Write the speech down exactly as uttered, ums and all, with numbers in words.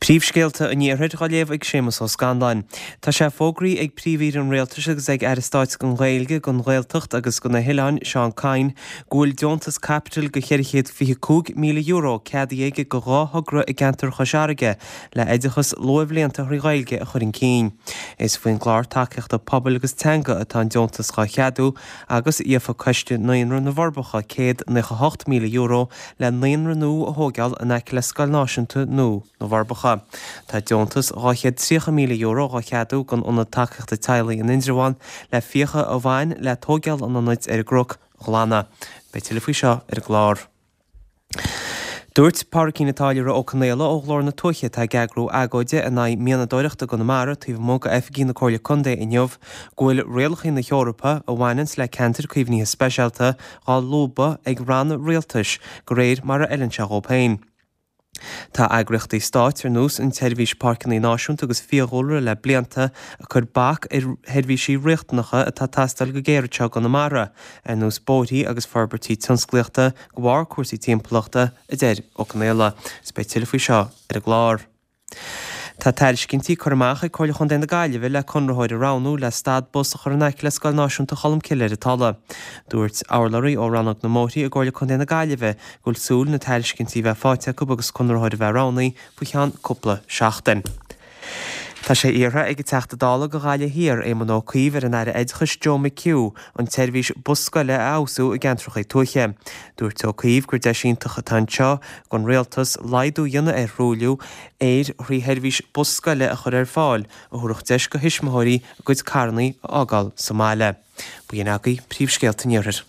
Príomhscéalta an Iarthair á léamh ag Séamus Ó Scanláin. Tá sé fógraithe ag Príomh-Aoire an Rialtais agus ag Aire Stáit don Ghaeilge, don Ghaeltacht agus do na hOileáin, Seán Kyne, go bhfuil deontas caipitil de cheithre chéad fiche cúig míle euro ceadaithe aige do dhá thogra i gceantar Chois Fharraige le oideachas luathbhlianta thrí Ghaeilge a chur chun cinn. Is faoin gclár tacaíochta pobail agus teanga atá an deontas dhá cheadú agus gheofa Coiste Naíonra na bhForbacha céad naocha hocht míle euro le naíonra nua a thógáil in aice le Scoil Náisiúnta nua na bhForbacha. Tá deontas dhá chéad tríocha míle euro dhá cheadú don Ionad Tacaíochta Teaghlaigh in Indreabhán le fiacha a bhain le tógáil an ionaid ar an gcnoc a ghlanadh. Beidh tuilleadh faoi seo ar an gclár. Dúirt Pádraicín an Táilliúra Ó Conaola ó Ghlór na Tuaithe atá ag eagrú agóide in aghaidh mianadóireachta i gConamara taobh amuigh d'oifigí na Comhairle Contae inniu go bhfuil rialacha na hEorpa a bhaineanns le ceantair caomhnaithe speisialta dhá lúbadh ag ranna rialtais de réir mar a fheileann sé dhóibh féin. Tá eagraíochtaí stáit ar nós an tSeirbhís Páirceanna Náisiúnta agus Fiadhúlra le blianta ag cur bac ar sheirbhísí riachtanacha atá ag teastáil go géar anseo i gConamara, ar nós bóithrí agus forbairtí tionsclaíochta de bharr cúrsaí timpeallachta, a deir Ó Conaola. Is beidh tuilleadh faoi seo ar an gclár. Tá tairiscintí curtha amach ag Comhairle Chontae na Gaillimhe le conraitheoir a roghnú le stad bus a chur in aice le Scoil Náisiúnta Cholmcille ar an Tulaigh. Dúirt urlabhraí ó Rannóg na mBóithrí i gComhairle Contae na Gaillimhe go bhfuil súil na tairiscintí a bheith faighte acu agus conraitheoir a bheith roghnaithe faoi cheann cúpla seachtain. Tá sé iarrtha ag an Teachta Dála do Ghaillimh Thiar, Éamon Ó Cuív ar an Aire Oideachais Joe McHugh an tseirbhís bus scoile a fheabhsú i gceantracha tuaithe. Dúirt Ó Cuív gur deis iontach atá anseo don rialtas laghdú a dhéanamh ar thruailliú aeir thrí sheirbhís bus scoile a chur ar fáil a thabharfadh deis do thuismitheoirí a gcuid carranna a fhágáil sa mbaile. B'in agaibh príomhscéalta an Iarthair.